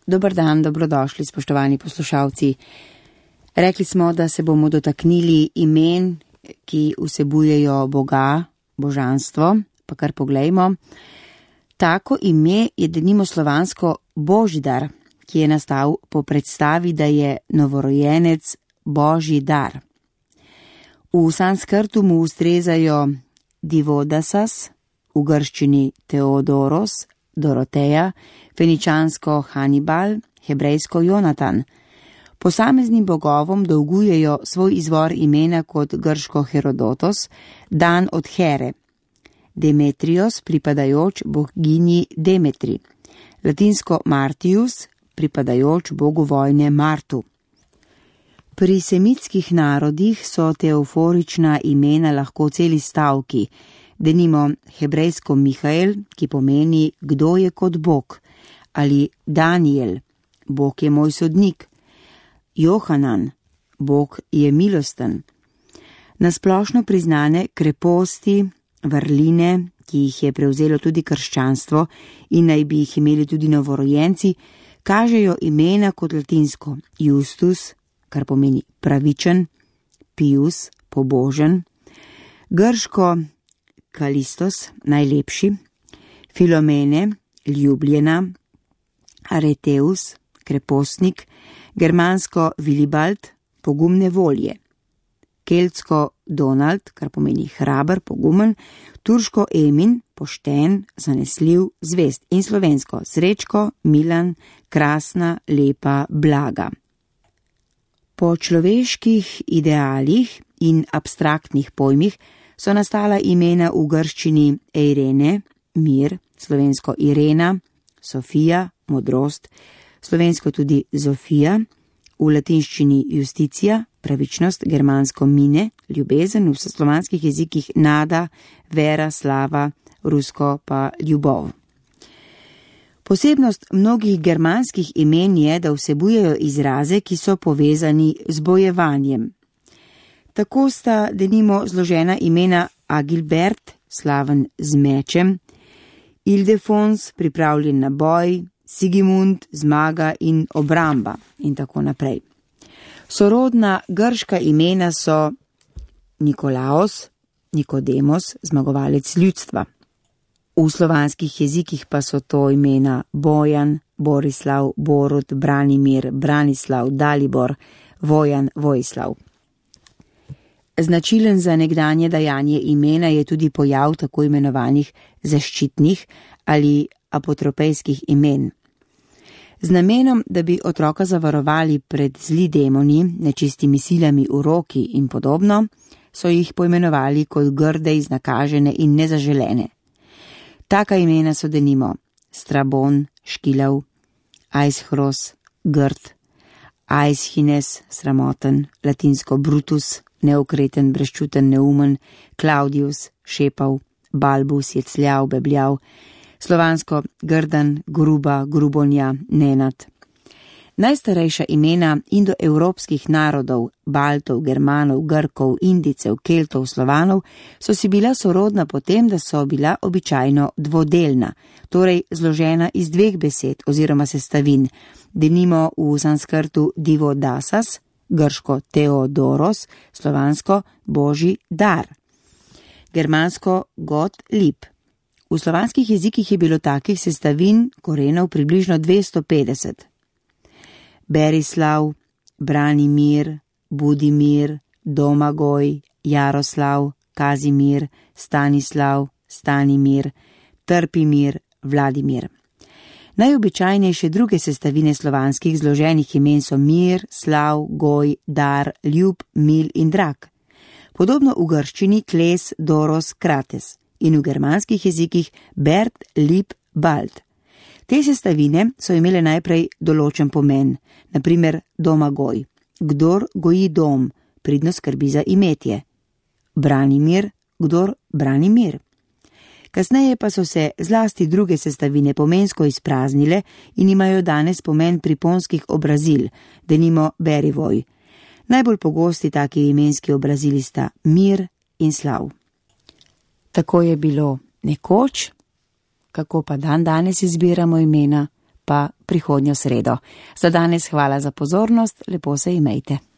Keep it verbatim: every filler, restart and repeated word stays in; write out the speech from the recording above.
Dober dan, dobrodošli, spoštovani poslušalci. Rekli smo, da se bomo dotaknili imen, ki vsebujejo Boga, božanstvo, pa kar poglejmo. Tako ime je denimo slovansko Božidar, ki je nastal po predstavi, da je novorojenec Božji dar. V sanskrtu mu ustrezajo Divodasas, v grščini Teodoros, Doroteja, feničansko Hannibal, hebrejsko Jonatan. Posameznim bogovom dolgujejo svoj izvor imena kot grško Herodotos, dan od Here, Demetrios, pripadajoč boginji Demetri, latinsko Martius, pripadajoč bogu vojne Martu. Pri semitskih narodih so teoforična imena lahko celi stavki, denimo hebrejsko Mihael, ki pomeni kdo je kot Bog, ali Daniel, Bog je moj sodnik, Johanan, Bog je milosten. Nasplošno priznane kreposti, vrline, ki jih je prevzelo tudi krščanstvo in naj bi jih imeli tudi novorojenci, kažejo imena kot latinsko Justus, kar pomeni pravičen, Pius, pobožen, grško Kalistos, najlepši, Filomene, ljubljena, Areteus, krepostnik, germansko Vilibald, pogumne volje, keltsko Donald, kar pomeni hraber, pogumen, turško Emin, pošten, zanesljiv, zvest in slovensko Srečko, Milan, krasna, lepa, blaga. Po človeških idealih in abstraktnih pojmih so nastala imena v grščini Eirene, mir, slovensko Irena, Sofija, modrost, slovensko tudi Zofija, v latinščini Justicija, pravičnost, germansko mine, ljubezen, v slovanskih jezikih nada, vera, slava, rusko pa ljubov. Posebnost mnogih germanskih imen je, da vsebujejo izraze, ki so povezani z bojevanjem. Tako sta denimo zložena imena Agilbert, slaven z mečem, Ildefons, pripravljen na boj, Sigimund, zmaga in obramba in tako naprej. Sorodna grška imena so Nikolaos, Nikodemos, zmagovalec ljudstva. V slovanskih jezikih pa so to imena Bojan, Borislav, Borut, Branimir, Branislav, Dalibor, Vojan, Vojislav. Značilen za nekdanje dajanje imena je tudi pojav tako imenovanih zaščitnih ali apotropejskih imen. Z namenom, da bi otroka zavarovali pred zli demoni, nečistimi silami v roki in podobno, so jih poimenovali kot grde, iznakažene in nezaželene. Taka imena so denimo Strabon, Škilav, Aishros, grd, Aishines, sramoten, latinsko Brutus, neokreten, brezčuten, neumen, Claudius, šepav, Balbus, jecljav, bebljav, slovansko grdan, gruba, grubonja, nenad. Najstarejša imena indoevropskih narodov, Baltov, Germanov, Grkov, Indicev, Keltov, Slovanov, so si bila sorodna potem, da so bila običajno dvodelna, torej zložena iz dveh besed oziroma sestavin, denimo v sanskrtu Divodasas, grško Teodoros, slovansko Božji dar, germansko God lip. V slovanskih jezikih je bilo takih sestavin korenov približno dvesto petdeset. Berislav, Branimir, Budimir, Domagoj, Jaroslav, Kazimir, Stanislav, Stanimir, Trpimir, Vladimir. Najobičajnejše druge sestavine slovanskih zloženih imen so mir, slav, goj, dar, ljub, mil in drag. Podobno v grščini kles, doros, krates in v germanskih jezikih bert, lip, bald. Te sestavine so imele najprej določen pomen, naprimer domagoj, kdor goji dom, pridno skrbi za imetje. Branimir, kdor brani mir. Kasneje pa so se zlasti druge sestavine pomensko izpraznile in imajo danes pomen priponskih obrazil, denimo berivoj. Najbolj pogosti taki imenski obrazili sta mir in slav. Tako je bilo nekoč, kako pa dan danes izbiramo imena, pa prihodnjo sredo. Za danes hvala za pozornost, lepo se imejte.